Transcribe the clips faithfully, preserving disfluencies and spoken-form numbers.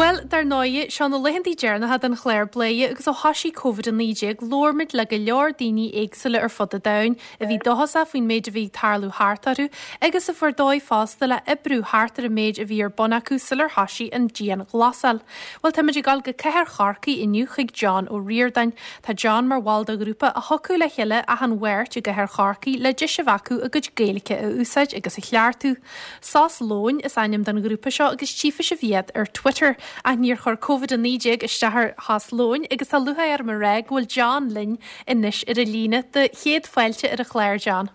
Bhuel, dar ndóigh, seo na laethanta deireanacha den chlár Bladhaire agus ó thosaigh Covid a naoi déag labhair muid le go leor daoine éagsúla ar fud an domhain a bhí dóchasach faoin méid a bhí ag tarlú thart orthu agus a fuair dóigh fosta le oibriú thart ar an méid a bhí ar bun acu sular thosaigh an dianghlasáil. Bhuel táimid ag dul go Cathair Chorcaí inniu chuig John Ó Ríordáin. Tá John mar bhall de ghrúpa a thiocfadh le chéile achan Mháirt i gCathair Chorcaí le deis a bheith acu a gcuid Gaeilge a úsáid agus a cheartú. Sos Lóin is ainm don ghrúpa seo agus tchífidh sibh iad ar Twitter. Ach níor chuir Covid a naoi déag isteach ar shos lóin agus tá lúcháir orm a rá go bhfuil John linn anois ar an líne do chéad fáilte ar an chlár John.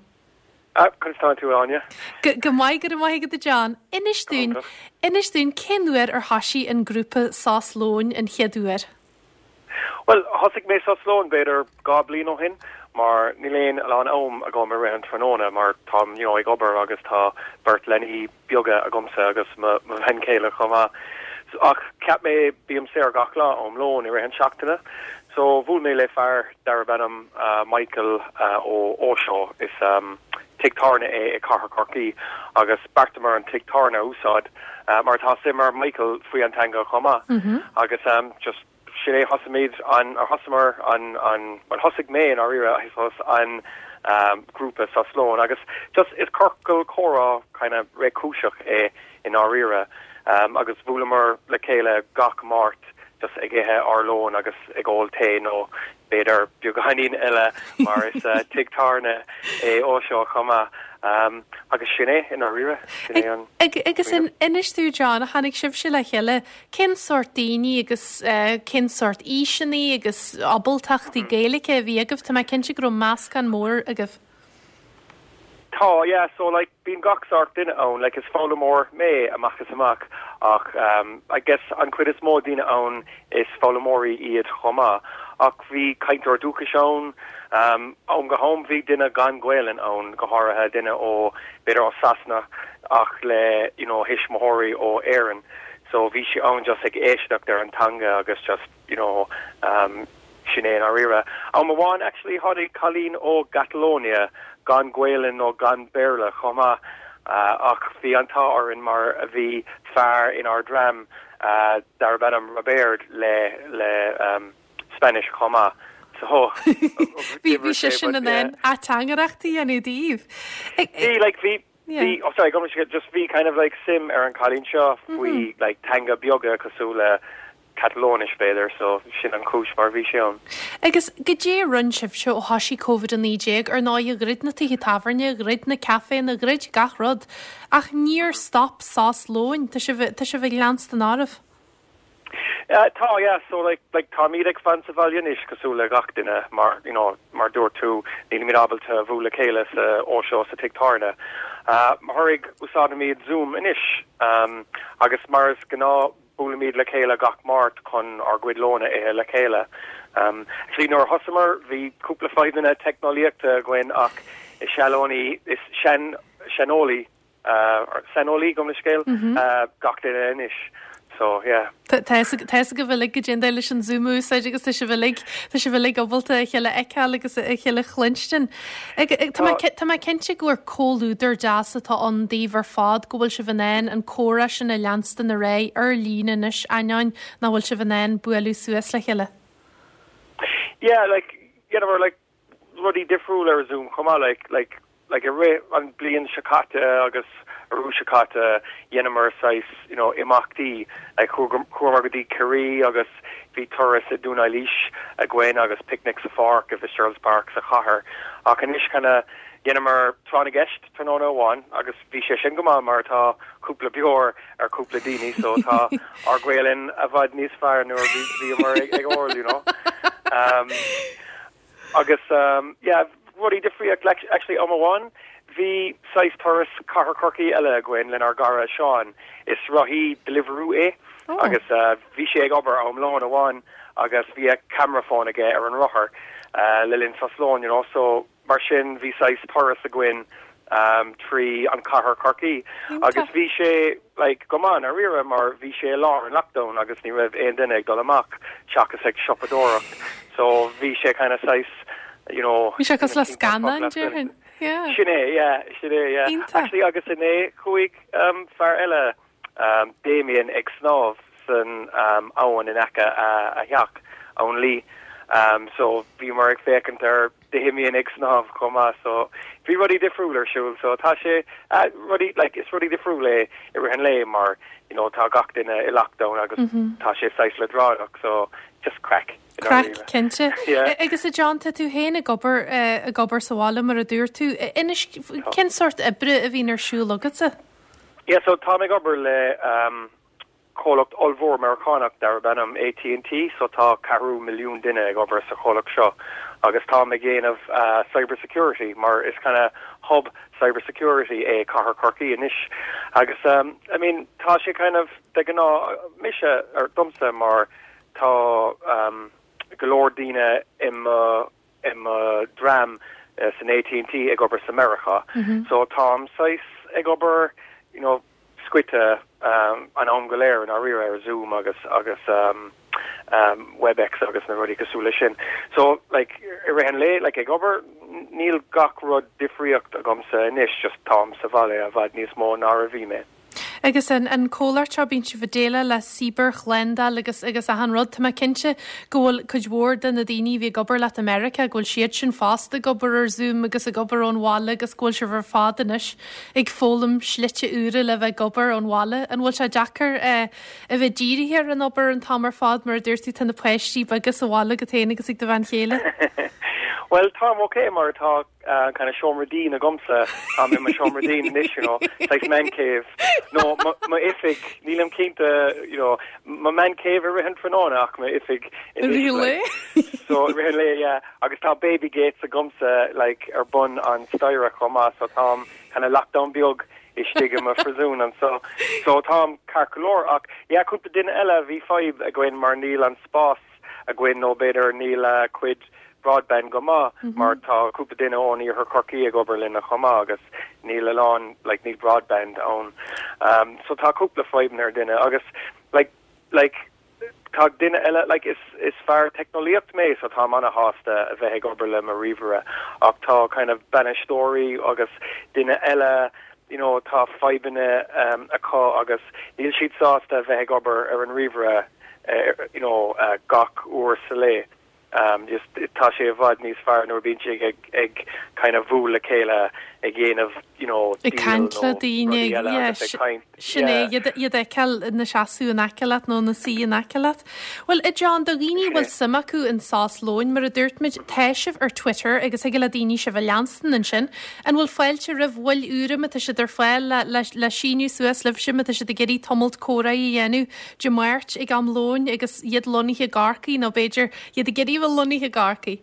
Ah, conas tánn tú Áine? Go maith go maith agat John. Inis dúinn Inis dúinn cén uair ar thosaigh an grúpa Sos Lóin an chéad uair. Well, thosaigh mé Sos Lóin b'fhéidir dhá bliain ó shin, mar níl aon a lán am agam i rith an tráthnóna mar táim you know, ag obair agus tá beirt leanaí beaga agamsa agus mo bhean chéile chomh maith. Ach cheap mé bím saor gach lá um lón i rith an seachtaine. So bhuail mé le fear darb ainm uh, Michael uh, ó Óseo is um, tigh tábhairne é i Cathair Chorcaí agus bheartaíomar an tigh tábhairne a úsáid uh, mar tá suim ag Michael faoi an teanga chomh maith mm -hmm. agus um, just sin é thosaigh an ar thosaíomar an an well thosaigh mé an áirithe an um, grúpa Sos Lóin agus just is ciorcal comhrá kind of réchúiseach é in áirithe um, agus bhuaileamar le chéile gach Máirt just ag ithe ár lón agus ag ól tae nó b'fhéidir beagáinín eile mar is uh, tigh tábhairne é Óseo chomh maith. Um, agus sin é in áirithe Agus in inis dúinn John a tháinig sibhse le chéile cén sórt daoine agus uh, cén sórt aoiseanna agus ábaltachtaí Gaeilge a bhí agaibh Tá mé cinnte go raibh meascán mór agaibh. Tá yeah so like bíonn gach sórt duine ann like is foghlaimeoir mé amach is amach ach um, I guess an chuid is mó daoine ann is foghlaimeoirí iad chomh maith ach bhí cainteoir dúchais ann um, am go ham bhí duine gan Ghaeilge ann go háirithe duine ó b'fhéidir ó Sasana ach le you know thuismitheoirí ó Éirinn so bhí sé ann just ag éisteacht ar an teanga agus just you know um, sin é an áirithe. Am amháin actually tháinig cailín ó Catalonia gan Gaeilge nó gan Béarla chomh maith uh, ach bhí an t-ádh orainn mar a bhí fear in ár dream uh, darb ainm Robert le le um, Spanish chomh maith. So Bhí bhí sé sin in ann ateangaireacht a dhéanamh daoibh. Bhí like bhí bhí oh sorry go just bhí kind of like suim ar an cailín seo faoi mm -hmm. like teanga beaga cosúil le Catalóinis b'fhéidir so sin an chúis mar bhí sé ann. Agus cad é a rinne sibhse ó thosaigh Covid a naoi déag ar ndóigh dhruid na tithe tábhairne, dhruid na caiféanna dhruid gach rud, ach níor stop Sos Lóin Tá sibh ag leanstan oraibh. Uh, tá yeah so like like táimid ag fanacht sa bhaile anois cosúil le gach duine mar you know mar dúirt tú nílimid ábalta bualadh le chéile sa Óseo sa tigh tábhairne. Uh, mar úsáidimid Zoom anois um, agus mar is gnáth buailimid le chéile gach Máirt chun ár gcuid lóin a ithe le chéile. Um, actually nuair a thosaíomar bhí cúpla fadhbanna teicneolaíochta againn ach is seanólaí is sean seanólaí uh, saineolaí gom le scéal mm -hmm. uh, gach duine anois. So yeah. Tá go bhfuil go dé leis an Zoom úsáid agus tá sibh uilig tá sibh uilig ábalta a chéile a fheiceáil agus a chéile a chluinstin. Tá mé cinnte gur comhluadar deas atá ann daoibh ar fad go bhfuil sibh in ann an comhrá sin a leanstan ar aghaidh ar líne anois ainneoin nach bhfuil sibh in ann bualadh suas le chéile. Yeah, like you know, like rudaí difriúil ar Zoom chomh maith like like like i rith an bliain seo caite agus arú seo caite dhéanamar saghas you know imeachtaí like chuamar go dtí Ciarraí agus bhí turas i Dún Eilís againn agus picnic sa pháirc i Fitzgerald's Park sa chathair ach anois kind of dhéanamar tráth na gceist tráthnóna amháin agus bhí sé sin go maith mar tá cúpla beoir ar cúpla daoine so tá ár Gaeilge i bhfad níos fearr nuair bhíomar ag ag ól you know um, agus um, yeah rudaí difriúla like, actually am amháin bhí saghas turas Cathair Chorcaí eile againn lenár gcara Seán is rothaí Deliveroo é oh. agus uh, bhí sé ag obair am lón amháin agus bhí a camera phone aige ar an rothar uh, le linn sos lóin you know so mar sin bhí saghas turas againn um, trí an Cathair Chorcaí agus bhí sé like go maith dáiríre mar bhí sé lár an lockdown agus ní raibh aon duine ag dul amach seachas ag siopadóireacht so bhí sé kind of saghas you know Bhí sé cosúil le scannán déarfainn. Yeah. Sin é yeah sin é yeah. Iontach. Actually agus inné chuaigh um, fear eile um, Damien ag snámh san um, abhainn in aice a, a theach Abhainn Lee. Um, so bhíomar ag féachaint ar na himíonn ag snámh chomh maith so bhí rudaí difriúil ar siúl so tá sé uh, rudaí like, is rudaí difriúil é i rith an lae mar you know, tá gach duine i lockdown agus mm -hmm. tá sé saghas leadránach so just craic. Craic cinnte. Agus a John tá tú féin ag obair ag obair sa bhaile mar a dúirt tú inis cén sórt oibre a bhíonn ar siúl agatsa? Yeah, so tá ag obair le um, comhlacht ollmhór Meiriceánach darb ainm AT&T, so tá ceathrú milliún duine ag obair sa chomhlacht seo agus tá ag déanamh uh, cybersecurity mar is kind of hub cybersecurity é cathair Chorcaí anois agus um, I mean tá sé kind of de ghnáth mise ar domsa mar tá um, go leor daoine im uh, im uh, dream uh, san AT&T ag obair sa America mm -hmm. so táim saghas ag obair you know scoite um, an am go léir an rí ar Zoom agus agus um, um, WebEx agus na rudaí cosúil sin. So like i rith an lae like ag obair níl gach rud difríocht agamsa anois just táim sa bhaile i bhfad níos mó ná a bhí mé. Agus an an comhlacht seo bíonn sibh ag déileáil le cibearshlándáil agus agus achan rud tá mé cinnte go bhfuil cuid mhór de na daoine bhí ag obair leat i America go bhfuil siad sin fosta ag obair ar Zoom agus ag obair ón bhaile agus go bhfuil sibh ar fad anois ag foghlaim slite úra le bheith ag obair ón bhaile an bhfuil sé deacair eh, a bheith dírithe ar an obair an t-am ar fad mar dúirt tú tá na páistí beaga sa bhaile agat féin agus ag do bhean chéile. Well tá okay mar tá uh, kind of seomra dín agamsa tá i mo seomra dín anois you know like man cave no mo oifig nílim cinnte you know mo man cave i rith an tráthnóna ach mo oifig Really? so rith an lae yeah agus tá baby gates agamsa like ar bun an staighre chomh maith so táim kind of lockdown beag istigh i mo phríosún an so so táim ceart go leor ach yeah cúpla duine eile bhí fadhb againn mar níl an spás againn nó b'fhéidir níl uh, cuid broadband go maith mm -hmm. mar tá cúpla duine ón iarthar Chorcaí ag obair linn chomh maith agus níl a lán like níl broadband ann um, so tá cúpla fadhb ar duine agus like like tá duine eile like is is fear teicneolaíocht mé so tá an-shásta a bheith ag obair le mo ríomhaire ach tá kind of bainisteoirí agus duine eile you know tá fadhbanna um, acu agus níl siad sásta a bheith ag obair ar an ríomhaire uh, you know uh, gach uair sa lá um, just tá sé i bhfad níos fearr nuair bíonn sé ag ag kind of bualadh le chéile ag dhéanamh you know ag caint le daoine sin é iad a fheiceáil ina seasamh in aice leat nó ina suí in aice leat. Well i John do dhaoine bhfuil suim acu in Sos Lóin mar a dúirt muid tá sibh ar Twitter agus ag le daoine sibh a leanstan ansin an bhfuil fáilte roimh bhaill úra má tá siad ar fáil le, le, le síniú suas libh sin má tá siad ag iarraidh tamall comhrá a dhéanamh Dé Máirt ag am lóin agus iad lonnaithe i gCorcaigh nó b'fhéidir iad ag iarraidh bheith lonnaithe i gCorcaigh.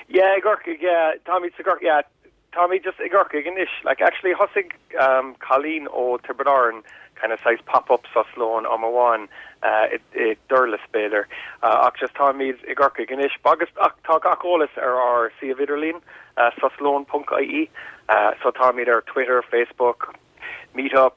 Yeah, i gCorcaigh, yeah, táimid sa Gcorcaigh, yeah, táimid just i gCorcaigh anois. Like actually thosaigh um, cailín ó Tiobraid Árann kind of saghas pop-up sos lóin am amháin uh, i, i Durlas b'fhéidir. Uh, ach just táimid i gCorcaigh anois. Agus ach tá gach eolas ar ár suíomh idirlín uh, soslón.ie. Uh, so táimid ar Twitter, Facebook, Meetup,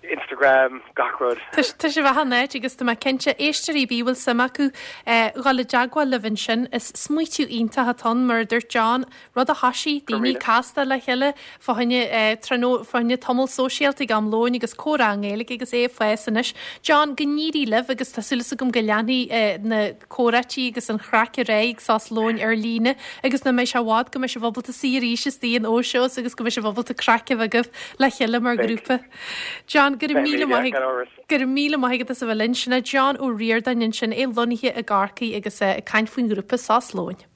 Instagram, gach rud. Tá sibh achan áit agus tá mé cinnte éisteoirí a bhfuil suim acu dhul i dteagmháil libh ansin is smaoitiú iontach atá ann mar dúirt John rud a thosaigh daoine casta le chéile fá choinne fá choinne tamall sóisialta ag am lóin agus comhrá i nGaeilge agus é ag fás anois. John go n-éirí libh agus tá súil agam go leanfaidh na comhráití agus an chraic ar aghaidh sos lóin ar líne agus nach mbeidh sé i bhfad go mbeidh sibh ábalta suí arís istigh in Óseos agus go mbeidh sibh ábalta craic a bheith agaibh le chéile mar grúpa. John gur míle gur míle maith a bheith linn sin John Ó Ríordáin ansin é lonnaithe i gCorcaigh agus ag caint faoin ngrúpa Sos Lóin.